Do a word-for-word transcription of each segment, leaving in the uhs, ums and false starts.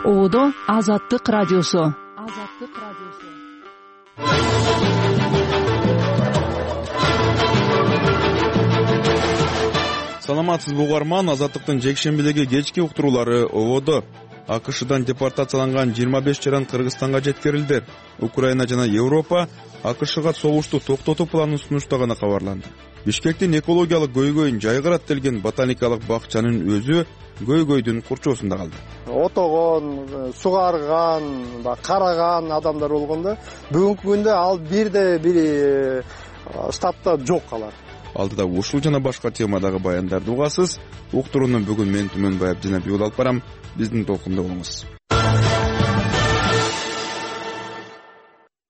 Оодо Азаттык радиосу. Азаттык радиосу. Саламатсызбы угарман, Азаттыктын жекшембидеги кечки уктуруулары Оодо. АКШдан депортацияланган жыйырма беш жаран Кыргызстанга жеткирилди. Украина жана Европа АКШга согушту токтотуу планын сунуштаганы кабарланды. Бишкектин экологиялык көйгөйүн жайгарат делген ботаникалык бакчанын өзү көйгөйдүн курчоосунда калды. Отогон, сугарган, караган адамдар болгондо бүгүнкү күндө ал бирде бир штатта жок калат. Алдыда ушул жана башка темадагы баяндарды угасыз. Уктурууну бүгүн мен Түмөнбаев Жинабек алып барам. Биздин толкунда болуңуз.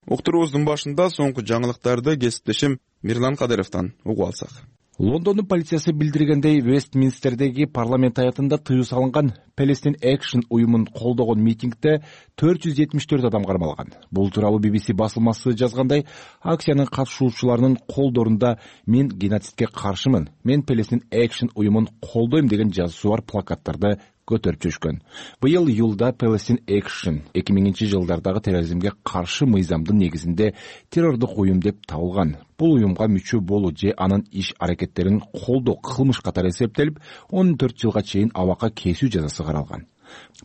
Уктуруубуздун башында соңку жаңылыктарды кесиптешим Мирлан Кадыровдон угуп алсак. Лондондун полициясы билдиргендей, Вестминстердеги парламент аятында тыюу салынган Palestine Action уюмун колдогон митингде төрт жүз жетимиш төрт адам кармалган. Бул тууралуу би би си басылмасы жазгандай, акциянын катышуучуларынын колдорунда "Мен геноцидке каршымын, мен Palestine Action уюмун колдойм" деген жазуусу бар плакаттарды көтөрүп жүрүшкөн. Быйыл июлда Palestine Action эки миңинчи жылдардагы терроризмге каршы мыйзамдын негизинде террордук уюм деп табылган. Бул уюмга мүчө болуу же анын иш аракеттерин колдоо кылмыш катары эсептелип, он төрт жылга чейин абакка кесүү жазасы каралган.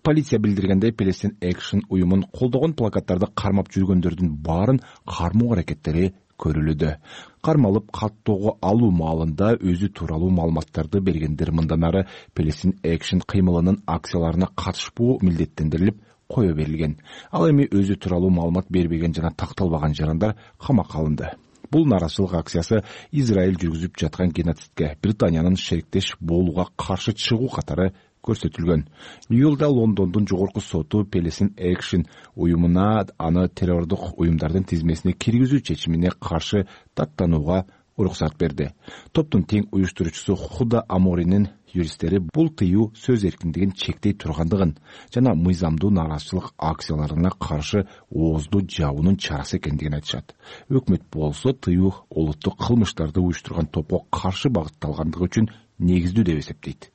Полиция билдиргендей, Palestine Action уюмун колдогон плакаттарды кармап жүргөндөрдүн баарын кармоо аракеттери көрүлүүдө. Кармалып каттоого алуу маалында өзү тууралуу маалыматтарды бергендер мындан ары Palestine Action кыймылынын акцияларына катышпоо милдеттендирилип кое берилген. Ал эми өзү тууралуу маалымат бербеген жана такталбаган жарандар камакка алынды. Бул нааразычылык акциясы Израиль жүргүзүп жаткан геноцидке Британиянын шериктеш болууга каршы чыгуу катары көрсөтүлгөн. Июлда Лондондун жогорку соту Palestine Action уюмуна аны террордук уюмдардын тизмесине киргизүү чечимине каршы даттанууга уруксат берди. Топтун тең уюштуруучусу Худа Аморинин юристтери бул тыюу сөз эркиндигин чектей тургандыгын жана мыйзамдуу нааразычылык акцияларына каршы ооздуу жабуунун чарасы экендигин айтышат. Өкмөт болсо тыюу олуттук кылмыштарды уюштурган топко каршы багытталгандыгы үчүн негиздүү деп эсептейт.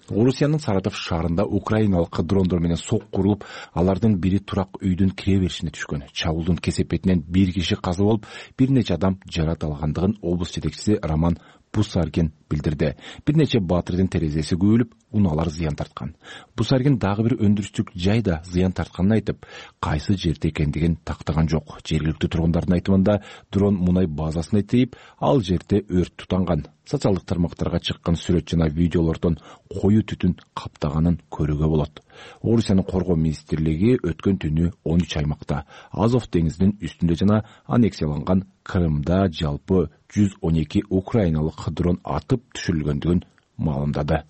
Орусиянын Саратов шаарында украиналык дрондор менен сок курулуп, алардын бири турак үйдүн кире беришине түшкөн. Чабуулдун кесепетинен бир киши каза болуп, бир нече адам жаракат алгандыгын облус жетекчиси Роман Бусаргин билдирди. Бир нече баатырдын терезеси күйүлүп, унаалар зыян тарткан. Бусаргин дагы бир өндүрүштүк жайда зыян тартканын айтып, кайсы жерде экендигин тактаган жок. Жергиликтүү тургундардын айтымында дрон мунай базасына тийип, ал жерде өрт тутанган. Социалдык тармактарга чыккан сүрөт жана видеолордон коюу түтүн каптаганын көрүүгө болот. Орусиянын коргоо министрлиги өткөн түнү он үч аймакта, Азов деңизинин үстүндө жана аннексияланган Крымда жалпы жүз он эки украиналык дрон атып түшүрүлгөндүгүн маалымдады.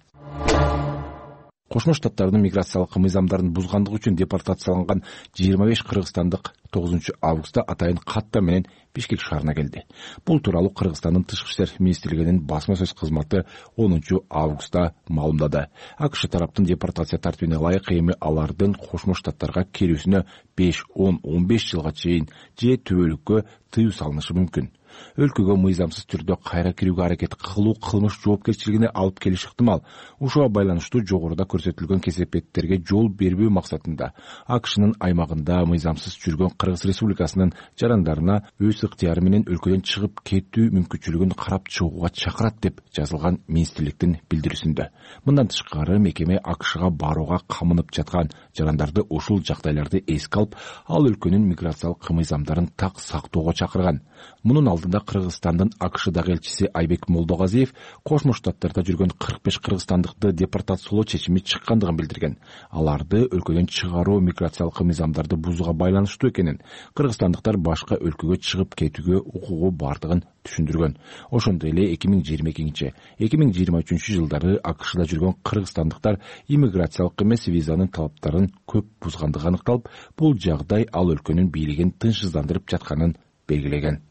Кошмо Штаттардын миграциялык мыйзамдарын бузгандыгы үчүн депортацияланган жыйырма беш кыргызстандык тогузунчу августта атайын катта менен Бишкек шаарына келди. Бул тууралуу Кыргызстандын Тышкы иштер министрлигинин басма сөз кызматы онунчу августта маалымдады. АКШ тараптын депортация тартибине ылайык эми алардын Кошмо Штаттарга келүүсүнө беш, он, он беш жылга чейин же түбөлүккө тыюу салынышы мүмкүн. Өлкөгө мыйзамсыз түрдө кайра кирүүгө аракет кылуу кылмыш жоопкерчилигине алып келиш ыктымал. Ушуга байланыштуу жогоруда көрсөтүлгөн кесепеттерге жол бербөө максатында АКШнын аймагында мыйзамсыз жүргөн Кыргыз Республикасынын жарандарына өз ыктыяры менен өлкөдөн чыгып кетүү мүмкүнчүлүгүн карап чыгууга чакырат деп жазылган министрликтин билдирүүсүндө. Мындан тышкары мекеме АКШга барууга камынып жаткан жарандарды ушул жагдайларды эске алып, ал өлкөнүн миграциялык мыйзамдарын так сактоого чакырган. Мунун алдында Кыргызстандын АКШдагы элчиси Айбек Молдогазиев Кошмо Штаттарда жүргөн кырк беш кыргызстандыкты депортациялоо чечими чыккандыгын билдирген. Аларды өлкөдөн чыгаруу миграциялык мыйзамдарды бузууга байланыштуу экенин, кыргызстандыктар башка өлкөгө чыгып кетүүгө укугу бардыгын түшүндүргөн. Ошондой эле эки миң жыйырма экинчи эки миң жыйырма үчүнчү жылдары АКШда жүргөн кыргызстандыктар иммиграциялык эмес визанын талаптарын көп бузгандыгы аныкталып, бул жагдай ал өлкөнүн бийлигин тынчсыздандырып жатканын белгилеген.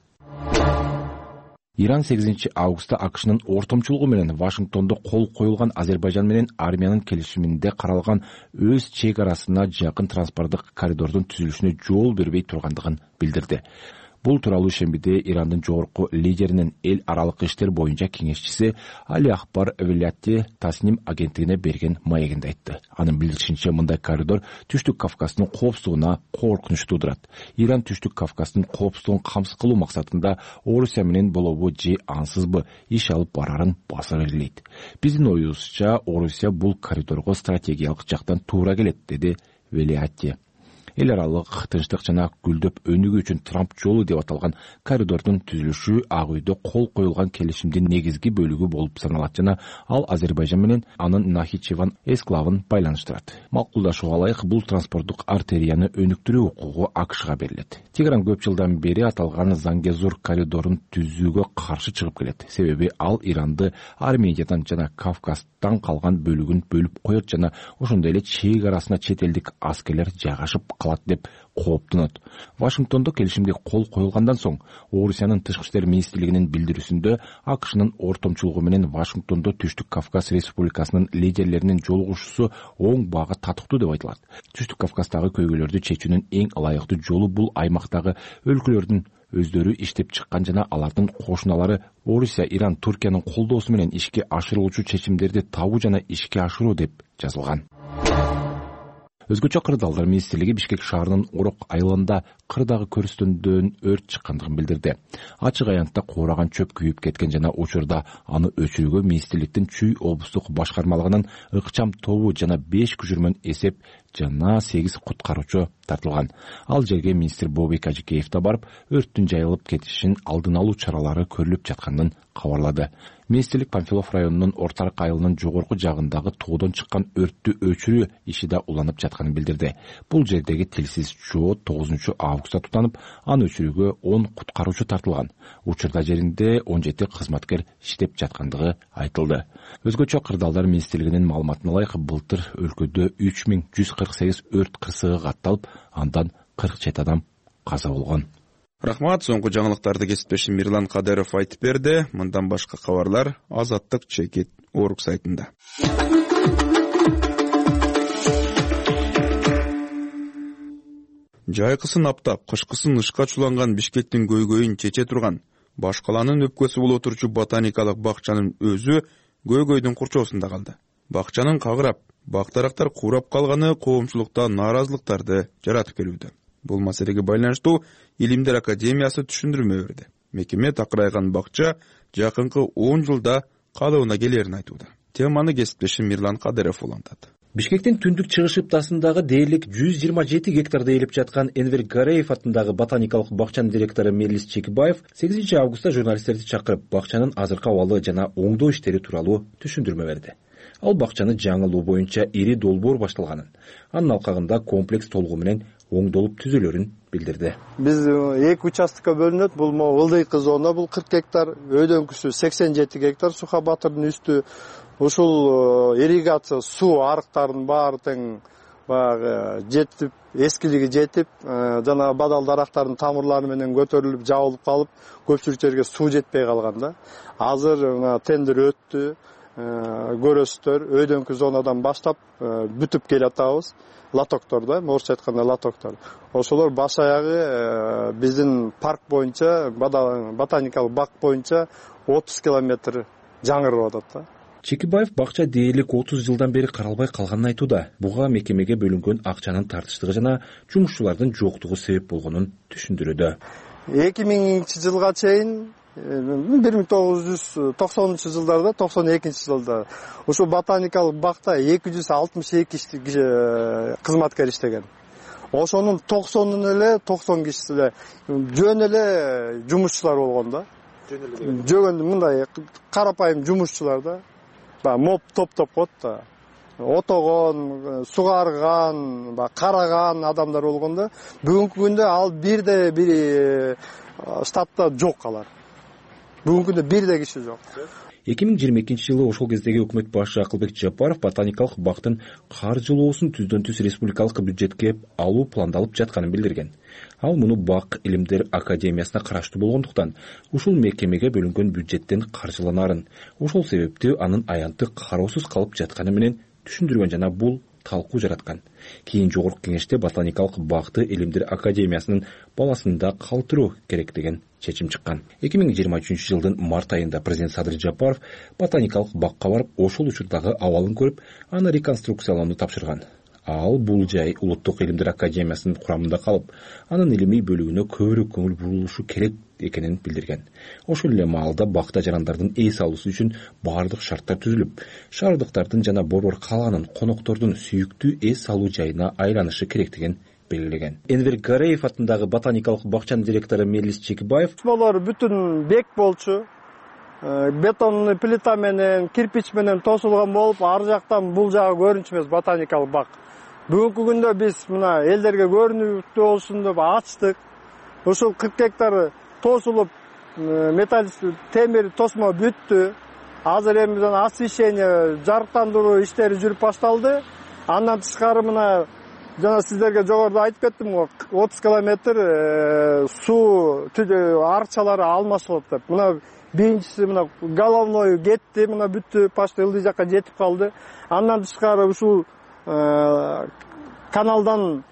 Иран сегизинчи августта АКШнын ортомчулугу менен Вашингтондо кол коюлган Азербайжан менен Армиянын келишиминде каралган өз чек арасына жакын транспорттук коридордун түзүлүшүнө жол бербей тургандыгын билдирди. Бул тууралуу шембиде Ирандын жогорку лидеринин эл аралык иштер боюнча кеңешчиси Али Акбар Велятти Тасним агенттигине берген маегинде айтты. Анын билдиришинче, мындай коридор Түштүк Кавказдын коопсуздугуна коркунуч туудурат. Иран Түштүк Кавказдын коопсуздугун камсыз кылуу максатында Орусия менен болобу же ансызбы иш алып барарын басып элейт. Биздин оюбузча Орусия бул коридорго стратегиялык жактан туура келет, деди Велятти. Эл аралык тынчтык жана гүлдөп өнүгүү үчүн Трамп жолу деп аталган коридордун түзүлүшү Ак үйдө кол коюлган келишимдин негизги бөлүгү болуп саналат жана ал Азербайжан менен анын Нахичеван эсклавын байланыштырат. Макулдашууга ылайык, бул транспорттук артерияны өнүктүрүү укугу АКШга берилет. Тегеран көп жылдан бери аталган Зангезур коридорун түзүүгө каршы чыгып келет. Себеби ал Иранды Армениядан жана Кавказдан калган бөлүгүн бөлүп коет жана ошондой эле чек арасына чет элдик аскерлер жайгашып калат деп кооптонот. Вашингтондо келишимге кол коюлгандан соң Орусиянын тышкы иштер министрлигинин билдирүүсүндө АКШнын ортомчулугу менен Вашингтондо Түштүк Кавказ Республикасынын лидерлеринин жолугушуусу оң багы татыктуу деп айтылат. Түштүк Кавказдагы көйгөйлөрдү чечүүнүн эң ылайыктуу жолу бул аймактагы өлкөлөрдүн өздөрү иштеп чыккан жана алардын кошуналары Орусия, Иран, Туркиянын колдоосу менен ишке ашырылуучу чечимдерди табуу жана ишке ашыруу деп жазылган. Өзгөчө кырдаалдар министрлиги Бишкек шаарынын Орок айылында кырдагы көрүстөндөн өрт чыккандыгын билдирди. Ачык аянтта куураган чөп күйүп кеткен жана учурда аны өчүрүүгө министрликтин Чүй облустук башкармалыгынын ыкчам тобу жана беш күчүрмөн эсеп жана сегиз куткаруучу тартылган. Ал жерге министр Бобек Ажикеев да барып, өрттүн жайылып кетишин алдын алуу чаралары көрүлүп жатканын кабарлады. Министрлик Панфилов районунун Ортарык айылынын жогорку жагындагы тоодон чыккан өрттү өчүрүү иши да уланып жатканын билдирди. Бул жердеги тилсиз чоо тогузунчу августта тутанып, аны өчүрүүгө он куткаруучу тартылган. Учурда жеринде он жети кызматкер иштеп жаткандыгы айтылды. Өзгөчө кырдаалдар министрлигинин маалыматына ылайык, былтыр өлкөдө үч миң жүз кырк сегиз өрт кырсыгы катталып, андан кырк жети адам каза болгон. Рахмат, соңку жаңылыктарды кесиптешим Мирлан Кадыров айтып берди. Мындан башка кабарлар Азаттык чекит Орг сайтында. Жайкысын аптап, кышкысын ышка чуланган Бишкектин көйгөйүн чече турган Баш каланын өпкөсү болуп отурчу ботаникалык бакчанын өзү көйгөйдүн курчоосунда калды. Бакчанын кагырап, бактарактар курап калганы коомчулукта нааразылыктарды жаратып келүүдө. Бул маселеге байланыштуу Илимдер академиясы түшүндүрмө берди. Мекеме такырайган бакча жакынкы он жылда калыбына келерин айтууда. Теманы кесиптешим Мирлан Кадыров улантат. Бишкектин түндүк чыгыш ыптасындагы дээрлик жүз жыйырма жети гектарда ээлеп жаткан Энвер Гареев атындагы ботаникалык бакчанын директору Мелис Чекибаев сегизинчи августта журналисттерди чакырып, бакчанын азыркы абалы жана оңдоо иштери тууралуу түшүндүрмө берди. Ал бакчаны жаңылуу боюнча ири долбоор башталганын, анын алкагында комплекс толугу менен оңдолуп түзөлөрүн билдирди. Биз эки участкка бөлүнөт. Бул ылдыйкы зона, бул кырк гектар, өйдөңкүсү сексен жети гектар, Суха Батырдын үстү. Ушул ирригация суу арыктардын баары тең баягы жетип, эскилиги жетип, жана бадал дарактардын тамырлары менен көтөрүлүп, жабылып калып, көпчүлүк жерге суу жетпей калган да. Азыр тендер өттү. Көрөсүздөр өйдөңкү зонадан баштап бүтүп келатабыз. Латокторда, орусча айтканда латоктор. Ошолор баш аягы биздин парк боюнча, ботаникалык бак боюнча отуз километр жаңырып атат да. Чекибаев бакча дээрлик отуз жылдан бери каралбай калганын айтууда. Буга мекемеге бөлүнгөн акчанын тартыштыгы жана жумушчулардын жоктугу себеп болгонун түшүндүрүүдө. эки миңинчи жылга чейин бир миң тогуз жүз токсонунчу жылдарда, токсон экинчи жылда ушул ботаникалык бакта эки жүз алтымыш эки кызматкер иштеген. Ошонун токсонун эле токсон кишиси эле жөн эле жумушчулар болгон да. Жөн эле мындай карапайым жумушчулар да. Ба моп топ-топ коет да. Отогон, сугарган, ба караган адамдар болгон да. Бүгүнкү күндө ал бирде бир штатта жок алар. Бүгүнкү күндө бирде киши жок. эки миң жыйырма экинчи жылы ошол кездеги өкмөт башы Акылбек Жапаров ботаникалык бактын каржылоосун түздөн түз республикалык бюджетке алуу пландалып жатканын билдирген. Ал муну Бак Илимдер академиясына караштуу болгондуктан ушул мекемеге бөлүнгөн бюджеттен каржыланарын, ошол себептүү анын аянты кароосуз калып жатканы менен түшүндүргөн жана бул талкуу жараткан. Кийин жогорку кеңеште ботаникалык бакты Илимдер академиясынын баласында калтыруу керек деген чечим чыккан. эки миң жыйырма үчүнчү жылдын март айында президент Садыр Жапаров ботаникалык бакка барып, ошол учурдагы абалын көрүп, аны реконструкциялоону тапшырган. Ал бул жай Улуттук Илимдер академиясынын курамында калып, анын илимий бөлүгүнө көбүрөөк көңүл бурулушу керек экенин билдирген. Ошол эле маалда бакта жарандардын эс алуусу үчүн баардык шарттар түзүлүп, шаардыктардын жана борбор калаанын, коноктордун сүйүктүү эс алуу жайына айланышы керектигин белгилеген. Энвер Гареев атындагы ботаникалык бакчанын директору Мелис Чекибаев: Болор бүтүн бек болчу. Бетонный плита менен, кирпич менен тосулган болуп, ар жактан бул жагы көрүнчү эмес ботаникалык бак. Бүгүнкү күндө биз мына элдерге көрүнүктүү болсун деп ачтык. Ушул кырк гектар тосулуп, металл темир тосмо бүттү. Азыр эми освещение, жарыктандыруу иштери жүрүп башталды. Андан тышкары мына жана сиздерге жогоруда айтып кеттим го, отуз километр суу арыкчалары алмашылат деп. Мына биринчиси мына головной кетти, мына бүттү, почти ылдый жакка жетип калды. Андан тышкары ушул каналдан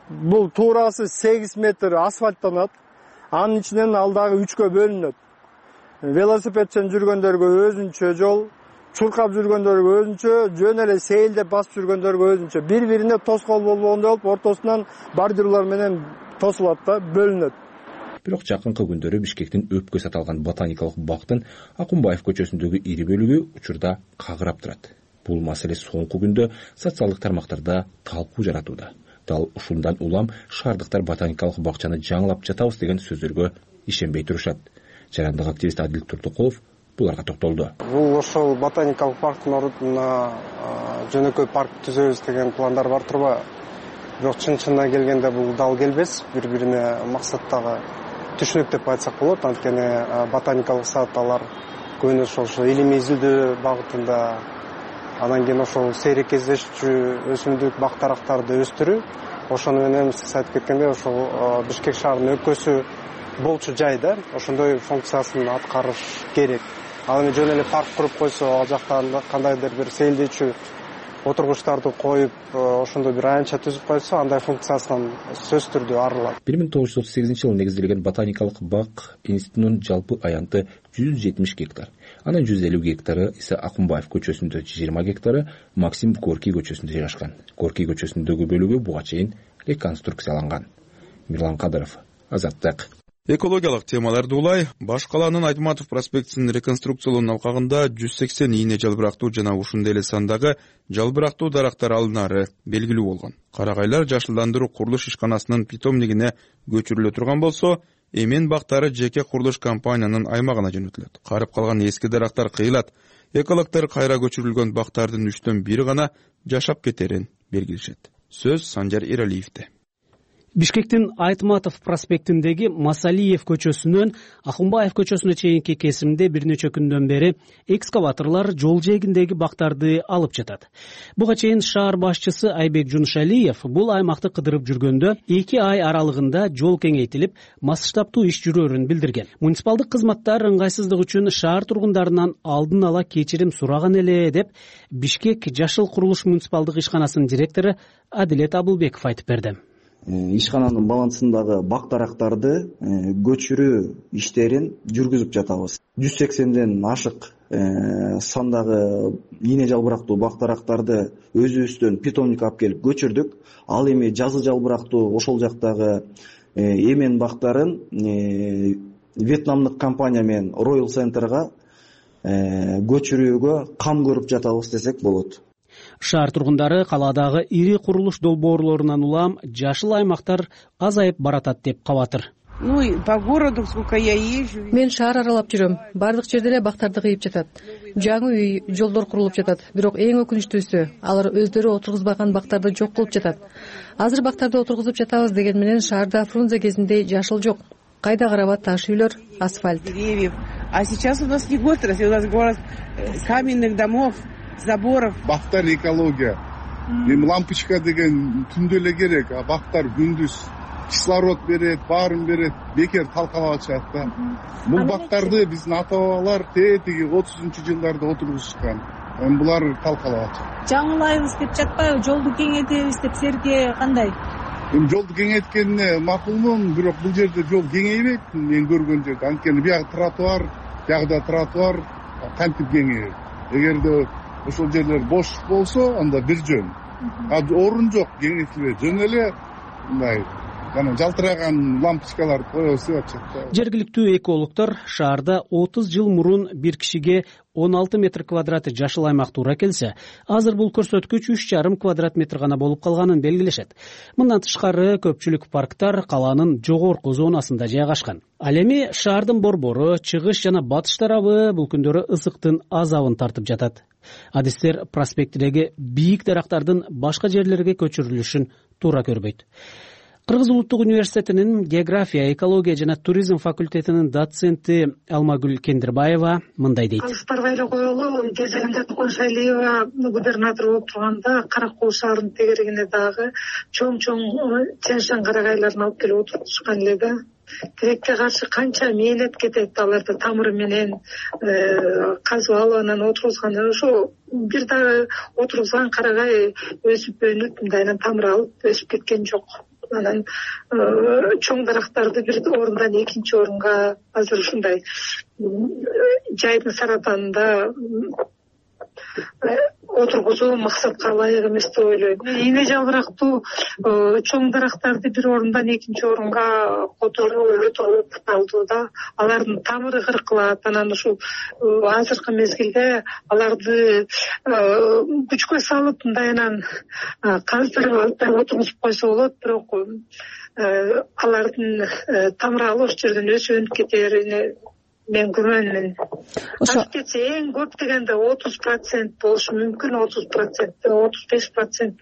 бул туурасы сегиз метр асфальттанат. Анын ичинен ал дагы үчкө бөлүнөт. Велосипедчен жүргөндөргө өзүнчө жол, чуркап жүргөндөргө өзүнчө, жөн эле сейилдеп басып жүргөндөргө өзүнчө. Бири-бирине тоскоол болбогондой болуп, ортосунан бордюрлар менен тосулат да бөлүнөт. Бирок жакынкы күндөрү Бишкектин өпкө саталган ботаникалык бактын Акунбаев көчөсүндөгү ири бөлүгү учурда кагырап турат. Бул маселе соңку күндө социалдык тармактарда талкуу жаратууда. Дал ушундан улам шаардыктар ботаникалык бакчаны жаңылап жатабыз деген сөздөргө ишенбей турушат. Жарандык активист Адил Турдукулов буларга токтолду. Бул ошол ботаникалык парктын ордуна жөнөкөй парк түзөбүз деген пландар бар турбайбы? Бирок чын-чынына келгенде бул дал келбес, бири-бирине максаттагы түшүнүк деп айтсак болот. Анткени ботаникалык саат алар көбүнө ошол илимий изилдөө багытында, анан кийин ошол сейрек кездешчү өсүмдүк бактарактарды өстүрүү, ошону менен сиз айтып кеткендей ошол Бишкек шаарынын өпкөсү болчу жайда ошондой функциясын аткарыш керек. Ал эми жөн эле парк куруп койсо, ал жакта кандайдыр бир сейилдечү отургучтарды коюп, ошондой бир аянтча түзүп койсо, андай функциясынан сөзсүз түрдө арылат. бир миң тогуз жүз отуз сегизинчи жылы негизделген ботаникалык бак институтунун жалпы аянты жүз жетимиш гектар. Анын жүз элүү гектары ise Акунбаев көчөсүндө, жыйырма гектары Максим Горький көчөсүндө жайгашкан. Горький көчөсүндөгү бөлүгү буга чейин реконструкцияланган. Мирлан Кадыров, Азаттык. Экологиялык темаларды улай, Баш калаанын Айтматов проспектисин реконструкциялоонун алкагында жүз сексен ийне жалбырактуу жана ушундай эле сандагы жалбырактуу дарактар алынары белгилүү болгон. Карагайлар жашылдандыруу курулуш ишканасынын питомнигине көчүрүлө турган болсо, эмен бактары жеке курулуш компаниянын аймагына жөнөтүлөт. Карып калган эски дарактар кыйылат. Экологдор кайра көчүрүлгөн бактардын үчтөн бири гана жашап кетерин белгилешет. Сөз Санжар Эралиевде. Бишкектин Айтматов проспектиндеги Масалиев көчөсүнөн Акунбаев көчөсүнө чейинки кесимде бир нече күндөн бери экскаваторлор жол жээгиндеги бактарды алып жатат. Буга чейин шаар башчысы Айбек Жуншалиев бул аймакты кыдырып жүргөндө эки ай аралыгында жол кеңейтилип, масштабтуу иш жүрөрүн билдирген. Муниципалдык кызматтар ыңгайсыздык үчүн шаар тургундарынан алдын ала кечирим сураган эле деп Бишкек Жашыл курулуш муниципалдык ишканасынын директору Адилет Абылбеков айтып берди. Ишкананын балансындагы бактарактарды көчүрүү иштерин жүргүзүп жатабыз. жүз сексенден ашык сандагы ийне жалбырактуу бактарактарды өзүбүздөн питомник алып келип көчүрдүк. Ал эми жазы жалбырактуу ошол жактагы эмен бактарын вьетнамдык компания менен Royal Center'га көчүрүүгө кам көрүп жатабыз десек болот. Шаар тургундары калаадагы ири курулуш долбоорлорунан улам жашыл аймактар азайып баратат деп кабатыр. Мен шаар аралап жүрөм. Бардык жерде эле бактарды кыйып жатат. Жаңы үй, жолдор курулуп жатат. Бирок эң өкүнүчтүүсү, алар өздөрү отургузбаган бактарды жок кылып жатат. Азыр бактарды отургузуп жатабыз деген менен шаарда Фрунзе кезиндей жашыл жок. Кайда караба таш үйлөр, асфальт. А сейчас у нас не город, у нас город каменных домов, заборов. Бактар экология. Эми лампочка деген түндө эле керек, а бактар күндүз кислород берет, баарын берет, бекер талкалап атышат да. Бул бактарды биздин ата бабалар тетиги отузунчу жылдарда отургузушкан. эми булар талкалап атат. Жаңылайбыз деп жатпайбы, жолду кеңейтебиз деп силерге кандай? Эми жолду кеңейткенине макулмун, бирок бул жерде жол кеңейбейт. Мен көргөн жерде анткени биягы тротуар, биягыда тротуар кантип кеңейет. Эгерде ошол жерлер бош болсо, анда бир жөн. А орун жок, кеңейтилбей, жөн эле мындай жана жалтыраган лампочкалар коюлса атат. Жергиликтүү экологдор шаарда отуз жыл мурун бир кишиге он алты метр квадрат жашыл аймак туура келсе, азыр бул көрсөткүч үч жарым квадрат метр гана болуп калганын белгилешет. Мындан тышкары көпчүлүк парктар калаанын жогорку зонасында жайгашкан. Ал эми шаардын борбору, чыгыш жана батыш тарабы бул күндөрү ысыктын азабын тартып жатат. Адистер проспекттеги бийик дарактардын башка жерлерге көчүрүлүшүн туура көрбөйт. Кыргыз улуттук университетинин география, экология жана туризм факультетинин доценти Алмагүл Кендирбаева мындай дейт. Алыспарга эле коелу, кезегинде Кошалиева губернатор болуп турганда Кара Куу шаарынын тегерегине дагы чоң-чоң чаң-чаң карагайларын алып келип отурушкан эле да. Тилекке каршы канча мээнет кетет, аларды тамыры менен казып алып анан отургузган. Ошо бир дагы отургузган карагай өсүп өнүп, мындайынан тамыр алып өсүп кеткен жок. Анан чоң дарактарды бир орундан экинчи орунга азыр ушундай жайдын саратанында отургузуу максатка ылайык эмес деп ойлойм. Ийне жалбырактуу чоң дарактарды бир орундан экинчи орунга которуу өтө кытталдуу да. Алардын тамыры кыркылат. Анан ушул азыркы мезгилде аларды күчкө салып мындайынан каздырып алып отургузуп койсо болот, бирок алардын тамыры ал ошол жерден өсүп өнүп кетерине мен күмөнмүн. Ашып кетсе эң көп дегенде отуз процент болушу мүмкүн, отуз процент, отуз беш процент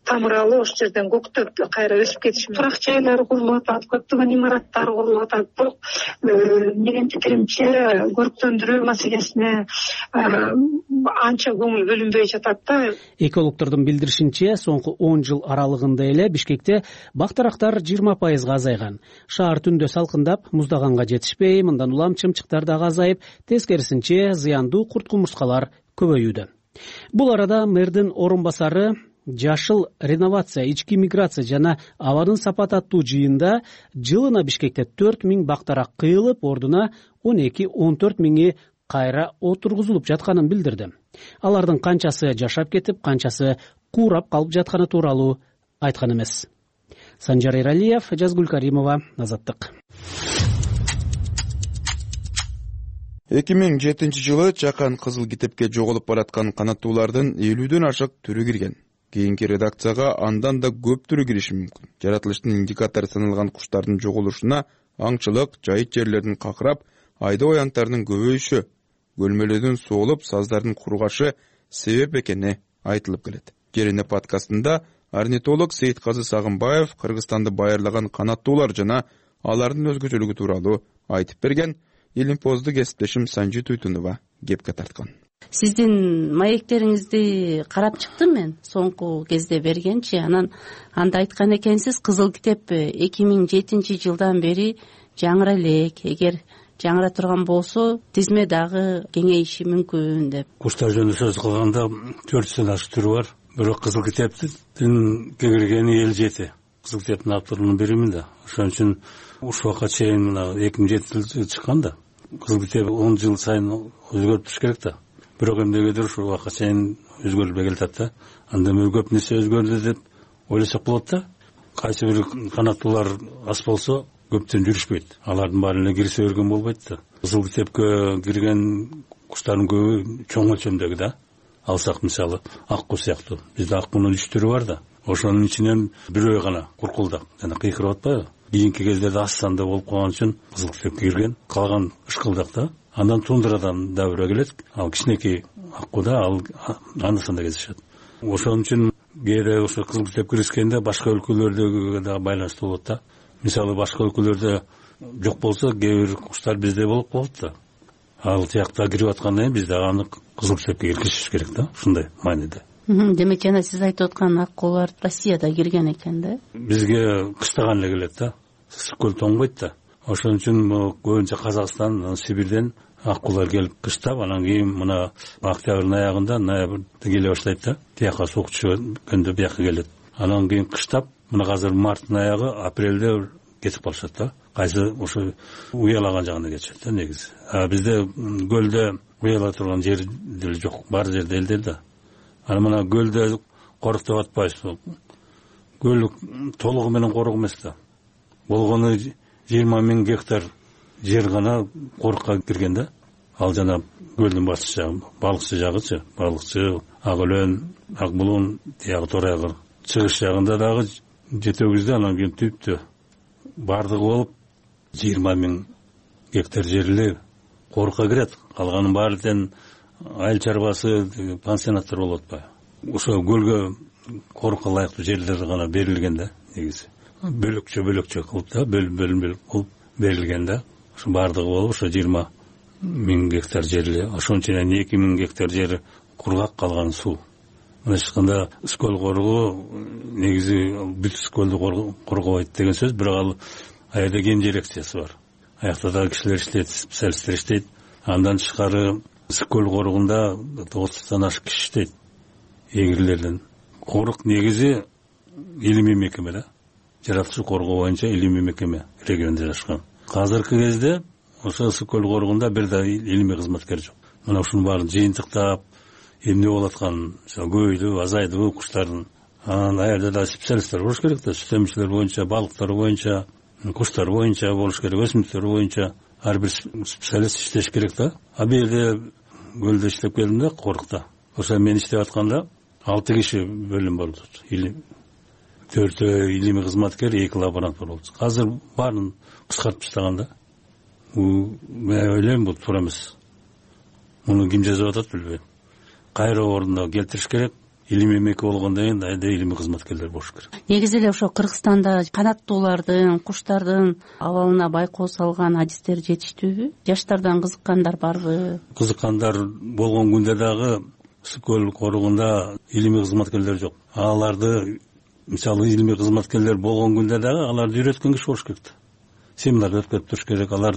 тамыр алып ошол жерден көктөп кайра өсүп кетиши мүмкүн. Турак жайлар курулуп атат, көптөгөн имараттар курулуп атат. Бирок менин пикиримче көрктөндүрүү маселесине анча көңүл бөлүнбөй жатат да. Экологдордун билдиришинче, соңку он жыл аралыгында эле Бишкекте бактарактар жыйырма пайызга азайган. Шаар түндө салкындап, муздаганга жетишпей, мындан улам чымчыктар дагы азайып, тескерисинче зыяндуу курт-кумурскалар көбөйүүдө. Бул арада мэрдин орун басары жашыл реновация, ички миграция жана абадын сапаты аттуу жыйында жылына Бишкекте төрт миң бактарак кыйылып, ордуна он эки он төрт миңи кайра отургузулуп жатканын билдирди. Алардын канчасы жашап кетип, канчасы куурап калып жатканы тууралуу айткан эмес. Санжар Эралиев, Жазгүл Каримова, Азаттык. эки миң жетинчи жылы Чакан Кызыл китепке жоголуп бараткан канаттуулардын элүүдөн ашык түрү кирген. Кийинки редакцияга андан да көп түрү кириши мүмкүн. Жаратылыштын индикатору саналган куштардын жоголушуна аңчылык, жайыт жерлердин какырап, айда оянттарынын көбөйүшү, көлмөлөдүн соолуп, саздардын кургашы себеп экени айтылып келет. Жерине подкастында орнитолог Сейитказы Сагынбаев Кыргызстанды байырлаган канаттуулар жана алардын өзгөчөлүгү тууралуу айтып берген. Илимпоздо кесиптешим Санжи Туйтунова кепке тарткан. Сиздин маектериңизди карап чыктым мен соңку кезде бергенчи. Анан анда айткан экенсиз, Кызыл китеп эки миң жетинчи жылдан бери жаңыра элек. Эгер жаңыра турган болсо, тизме дагы кеңейиши мүмкүн деп. Куштар жөнүндө сөз кылганда төрт жүздөн ашык түрү бар. Бирок Кызыл китептин кеңиргени элүү жети. Кызыл китептин авторунун биримин да. Ошон үчүн ушул убакка чейин мына эки миң жетинчи жылы чыккан да. Кызыл китеп он жыл сайын өзгөрүп туруш керек да. Бирок эмнегедир ушул убакка чейин өзгөрүлбөй келатат да. Анда эми көп нерсе өзгөрдү деп ойлосок болот да. Кайсы бир канаттуулар аз болсо көптөн жүрүшпөйт. Алардын баарын эле кирсе өргөн болбойт да. Кызыл китепке кирген куштардын көбү чоң өлчөмдөгү да. Алсак мисалы акку сыяктуу. Бизде аккунун үч түрү бар да. Ошонун ичинен бирөө гана куркулдак жана кыйкырып атпайбы? Кийинки кездерде аз санда болуп калган үчүн Кызыл китепке кирген. Калган ышкылдак да. Андан тундрадан да бирөө келет. Ал кичинекей аккуда ал анда санда кездешет. Ошон үчүн кээде ошо Кызыл китеп киришкенде башка өлкөлөрдөгү да байланыштуу болот да. Мисалы башка өлкөлөрдө жок болсо, кээ бир куштар бизде болуп калат да. Ал тиякта кирип аткандан кийин бизде аны Кызыл китепке киргизиш керек да. Ушундай мааниде. Демек жана сиз айтып аткан аккулар Россияда кирген экен да. Бизге кыштаган эле келет да. Ысык көл тоңбойт да. Ошон үчүн көбүнчө Казакстан, Сибирден ак куулар келип кыштап, анан кийин мына октябрдын аягында, ноябрда келе баштайт да, тияка суук түшкөндө бияка келет. Анан кийин кыштап, мына азыр марттын аягы, апрелде кетип калышат да. Кайсы ошо уялаган жагына кетишет да негизи. А бизде көлдө уяла турган жер деле жок, бар жерде элдел да. Анан мына көлдө корук деп атпайбыз. Көл толугу менен корук эмес да. Болгону жыйырма миң гектар жер гана корукка кирген да. Ал жана көлдүн башчы жагы, балыкчы жагычы, балыкчы, ак өлөн, ак булун, тиягы тор айгыр. Чыгыш жагында дагы жетегизде, анан кийин түптө бардыгы болуп жыйырма миң гектар жер эле корукка кирет. Калганын баары тең айыл чарбасы, пансионаттар болуп атпайбы. Ошо көлгө корукка ылайыктуу жерлер гана берилген да негизи. Бөлөкчө бөлөкчө кылып да, бөлүн-бөлүн кылып берилген да. Ошо бардыгы болуп ошо жыйырма миң гектар жер эле. Ошонун ичинен эки миң гектар жери кургак, калган суу. Мына ачканда Скөл коругу негизи бүт Скөлдү коргобойт деген сөз, бирок ал аерде ген дирекциясы бар. Аякта да кишилер иштейт, специалисттер иштейт. Андан тышкары Скөл коругунда отуздан ашык киши иштейт. Эгирлерден. Корук негизи илимий мекеме да. Жаратылышы коргоо боюнча илимий мекеме региондо жашкан. Азыркы кезде ошо Скөл коругунда бир да илимий кызматкер жок. Мына ушунун баарын жыйынтыктап, эмне болуп атканын, көбөйдү, азайдыбы куштардын. Анан аерде да специалисттер болуш керек да, сүт эмчилер боюнча, балыктар боюнча, куштар боюнча болуш керек, өсүмдүктөр боюнча ар бир специалист иштеш керек да. А бул жерде көлдө иштеп келдим да, корукта. Ошо мен иштеп атканда алты киши бөлүм болду. Төртөө илимий кызматкер, эки лаборант болду. Азыр баарын кыскартып таштаган да. Мен ойлойм бул туура эмес. Муну ким жазып атат билбейм. Кайра ордуна келтириш керек. Илимий мекеме болгондон кийин айда илимий кызматкерлер болуш керек. Негизи эле ошо Кыргызстанда канаттуулардын, куштардын абалына байкоо салган адистер жетиштүүбү? Жаштардан кызыккандар барбы? Кызыккандар болгон күндө дагы Скөл коругунда илимий кызматкерлер жок. Аларды, мисалы, илимий кызматкерлер болгон күндө дагы аларды үйрөткөн киши болуш керек да. Семинар өткөрүп туруш керек. Алар,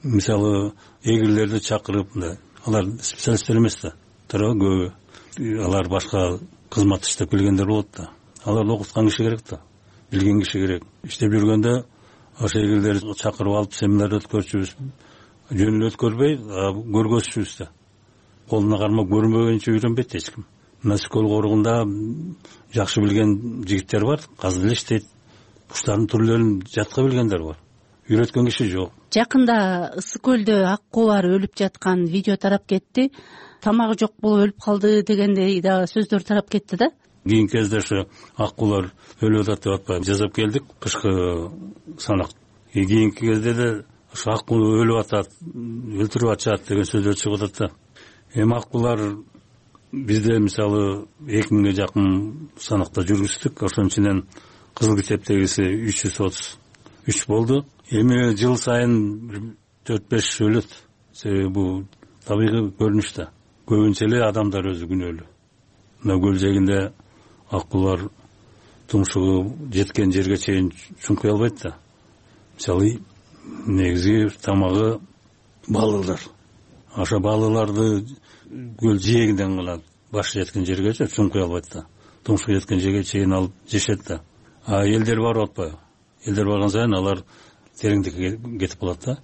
мисалы, эгирлерди чакырып, алар специалисттер эмес да. Туура көбү. Алар башка кызмат иштеп келгендер болот да. Аларды окуткан киши керек да. Билген киши керек. Иштеп жүргөндө ошо эгирлерди чакырып алып семинар өткөрчүбүз. Жөн эле өткөрбөй, көргөзчүбүз да. Колуна кармап көрмөгөнчө үйрөнбөйт эч ким. Мына Скөл коругунда жакшы билген жигиттер бар, казыр эле иштейт. Куштардын түрлөрүн жатка билгендер бар. Үйрөткөн киши жок. Жакында Ысык көлдө ак куулар өлүп жаткан видео тарап кетти. Тамагы жок болуп өлүп калды дегендей дагы сөздөр тарап кетти да. Кийинки кезде ошо ак куулар өлүп атат деп атпайбы, жазып келдик кышкы санак. Кийинки кезде да ошо ак куу өлүп атат, өлтүрүп атышат деген сөздөр чыгып атат да. Эми ак куулар бизде мисалы эки миңге жакын санакта жүргүздүк. Ошонун ичинен кызыл китептегиси үч жүз отуз үч болду. Эми жыл сайын төрт беш өлөт. Себеби бул табигый көрүнүш да. Көбүнчө эле адамдар өзү күнөөлүү. Мына көл жээгинде ак куулар тумшугу жеткен жерге чейин чуңкуй албайт да. Мисалы негизи тамагы балыклар. Ошо балыкларды көл жээгинден гана башы жеткен жергече чуңкуй албайт да. Тумшугу жеткен жерге чейин алып жешет да. А элдер барып атпайбы? Элдер барган сайын алар тереңдикке кетип калат да.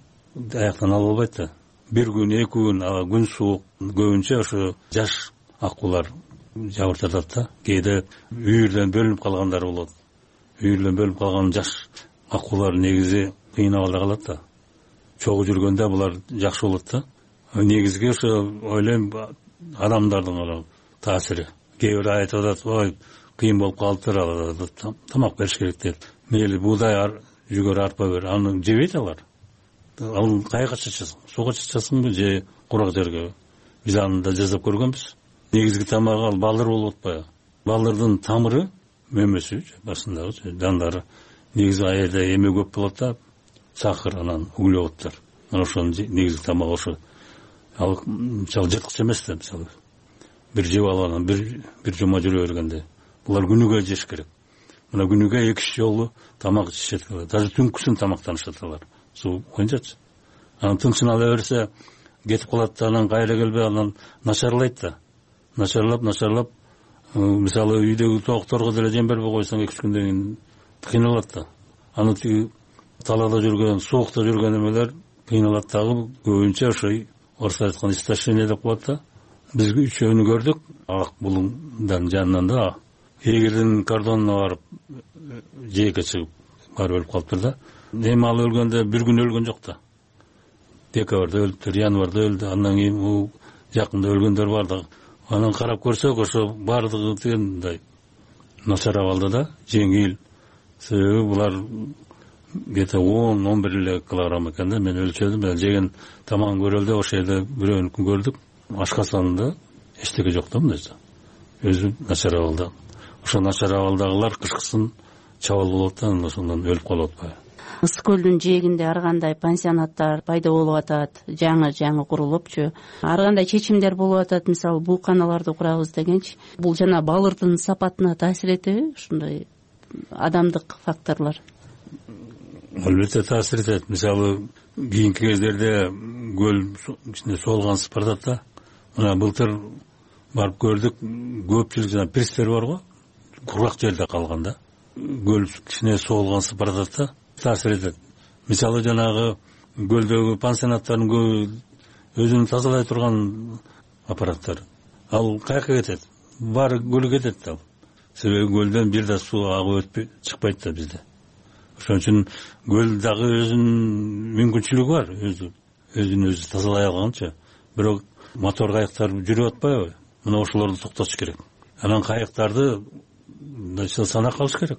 Аяктан алып албайт да. Бир күн, эки күн, күн суук, көбүнчө ошо жаш ак куулар жабыртатат да. Кээде үйүрдөн бөлүнүп калгандар болот. Үйүрдөн бөлүнүп калган жаш ак куулар негизи кыйнап ала калат да. Чогуу жүргөндө булар жакшы болот да. Негизги ошо ойлойм адамдардын гана таасири. Кээ бир айтып атат, ой, кыйын болуп калыптыр, тамак бериш керек дейт. Мейли буудай, жүгөр, арпа бер, аны жебейт алар. Ал кайга чачасың? Сууга чачасыңбы же курак жерге? Биз аны да жасап көргөнбүз. Негизги тамагы ал балдыр болуп атпайбы? Балдырдын тамыры, мөмөсү, башындагы жандары негизи аерде эме көп болот да, сахар, анан углеводдор. Мына ошонун негизги тамагы ошо. Ал мисалы жырткыч эмес да, мисалы. Бир жеп алып анан бир бир жума жүрө бергенде. Булар күнүгө жеш керек. Мына күнүгө эки үч жолу тамак ичишет. Даже түнкүсүн тамактанышат алар. Суу боюнчачы. Анан тынчын ала берсе, кетип калат да, анан кайра келбей анан начарлайт да, начарлап начарлап мисалы үйдөгү тоокторго деле жем бербей койсоң эки үч күндөн кийин кыйналат да. Аны тиги талаада жүргөн, суукта жүргөн эмелер кыйналат дагы, көбүнчө ошо орусча айтканда истощение деп коет да. Биз үчөөнү көрдүк ак булуңдун жанынан да. Эгердин кордонуна барып жээкке чыгып барып өлүп калыптыр да. Эми ал өлгөндө бир күн өлгөн жок да. Декабрда өлүптүр, январда өлдү, андан кийин бул жакында өлгөндөр бар да. Анан карап көрсөк, ошо бардыгы тигендей начар абалда да, жеңил. Себеби булар где-то он он бир эле килограмм экен да. Мен өлчөдүм, жеген тамагын көрөлдү, ошол жерде бирөөнүкүн көрдүк. Ашкасанында эчтеке жок да, мындай өзү начар абалда. Ошо начар абалдагылар кышкысын чабал болот да, ошондон өлүп калып атпайбы. Ысык көлдүн жээгинде ар кандай пансионаттар пайда болуп атат, жаңы жаңы курулупчу. Ар кандай чечимдер болуп атат, мисалы бууканаларды курабыз дегенчи. Бул жана балырдын сапатына таасир этеби ушундай адамдык факторлор? Албетте таасир этет. Мисалы кийинки кездерде көл ичинде соолгансыз баратат да. Мына былтыр барып көрдүк, көпчүлүк жана пирстер бар го, кургак жерде калган да. Көл кичине соолгансыз баратат да, таасир этет. Мисалы жанагы көлдөгү пансионаттардын өзүн тазалай турган аппараттар, ал каяка кетет? Баары көлгө кетет да. Себеби көлдөн бир да суу агып өтпөй чыкпайт да бизде. Ошон үчүн көл дагы өзүнүн мүмкүнчүлүгү бар, өзү өзүн өзү тазалай алганча. Бирок мотор кайыктар жүрүп атпайбы? Мына ошолорду токтотуш керек. Анан кайыктарды санак алыш керек.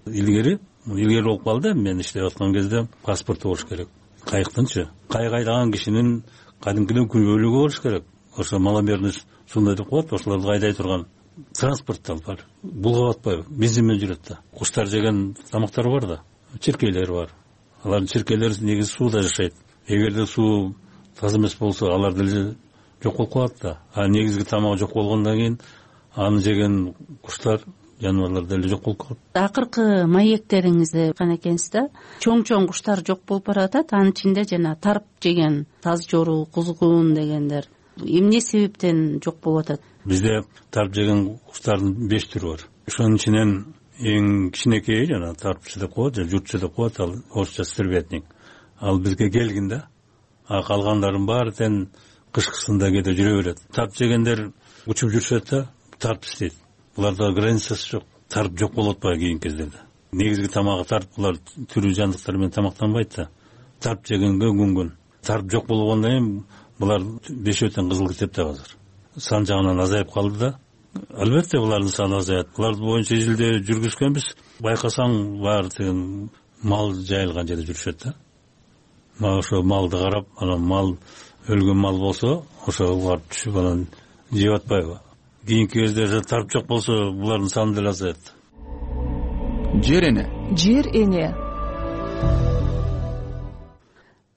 Илгери, илгери болуп калды, мен иштеп аткан кезде паспорту болуш керек. Кайыктынчы. Кайык айдаган кишинин кадимкиден күбөлүгү болуш керек. Ошо маломерность сундай деп коет, ошолорду айдай турган транспорттар бар. Булгап атпайбы? Бензин менен жүрөт да. Куштар жеген тамактар бар да. Чиркейлер бар. Алардын чиркейлери негизи сууда жашайт. Эгерде суу таза эмес болсо, алар деле жок болуп калат да. А негизги тамагы жок болгондон кийин аны жеген куштар, жаныбарлар деле жок болуп калат. Акыркы маектериңизди айткан экенсиз да, чоң-чоң куштар жок болуп баратат. Анын ичинде жана тарп жеген, таз жору, кузгун дегендер эмне себептен жок болуп атат? Бизде тарп жеген куштардын беш түрү бар. Ошонун ичинен эң кичинекейи жана тарпчы деп коет, же журтчу деп коет, ал орусча стервятник. Ал бизге келгин да. А калгандардын баары тең кышкысында кээде жүрө берет. Тарп жегендер учуп жүрүшөт да, тарп истейт. Буларда границасы жок. Тарп жок болуп атпайбы кийинки кездерде. Негизги тамагы тарп, булар тирүү жандыктар менен тамактанбайт да. Тарп жегенге күнгөн. Тарп жок болгондон кийин булар бешөө тең кызыл китепте азыр. Сан жагынан азайып калды да. Албетте булардын саны азаят. Булар боюнча изилдөө жүргүзгөнбүз. Байкасаң баары тең мал жайылган жерде жүрүшөт да. Мага ошо малды карап, анан мал өлгөн мал болсо, ошого барып түшүп анан жеп атпайбы? Кийинки кезде тарп жок болсо, булардын саны деле азаят. Жер эне. Жер эне.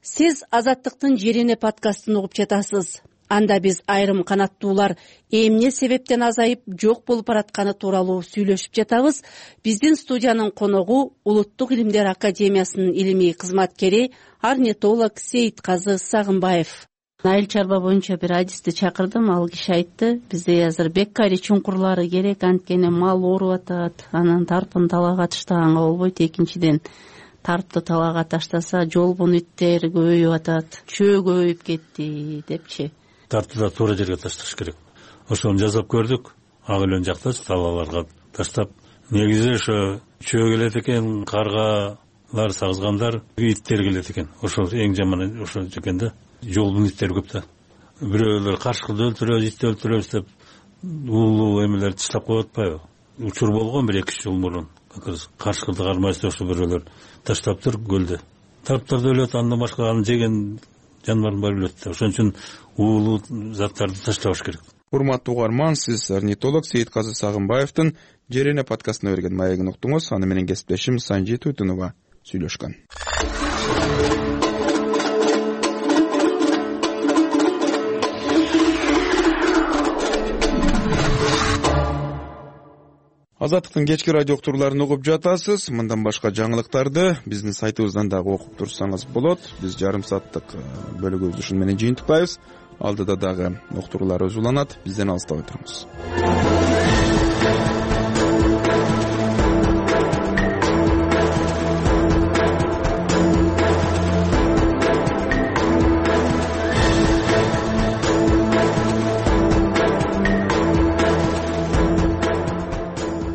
Сиз Азаттыктын Жер эне подкастын угуп жатасыз. Анда биз айрым канаттуулар эмне себептен азайып жок болуп баратканы тууралуу сүйлөшүп жатабыз. Биздин студиянын коногу Улуттук илимдер академиясынын илимий кызматкери, орнитолог Сейитказы Сагынбаев. Айыл чарба боюнча бир адисти чакырдым, ал киши айтты, бизде азыр беккари чуңкурлары керек, анткени мал ооруп атат, анан тарпын талаага таштаганга болбойт. Экинчиден, тарпты талаага таштаса жолбун иттер көбөйүп атат, чөө көбөйүп кетти депчи. Тарпты да туура жерге ташташ керек. Ошону жасап көрдүк. Ак элен жактачы талааларга таштап. Негизи ошо чөө келет экен, каргалар, сагызгандар, иттер келет экен. Ошо эң жаманы ошо экен да. Жолдун иттери көп да. Бирөөлөр каршкылды өлтүрөбүз, итти өлтүрөбүз деп уулуу эмелерди таштап коюп атпайбы? Учур болгон бир эки үч жыл мурун. Каршкылды кармайбыз деп ошо бирөөлөр таштаптыр көлдө. Тарптар да өлөт, андан башка аны жеген жаныбардын баары өлөт да. Ошон үчүн уулуу заттарды таштабаш керек. Урматтуу угарман, сиз орнитолог Сейитказы Сагынбаевдин Жер эне подкастына берген маегин уктуңуз. Аны менен кесиптешим Санжи Туйтунова сүйлөшкөн. Азаттыктын кечки радио уктурууларын угуп жатасыз. Мындан башка жаңылыктарды биздин сайтыбыздан дагы окуп турсаңыз болот. Биз жарым сааттык бөлүгүбүздү ушун менен жыйынтыктайбыз. Алдыда дагы уктуруулар өзү уланат. Бизден алыстабай туруңуз.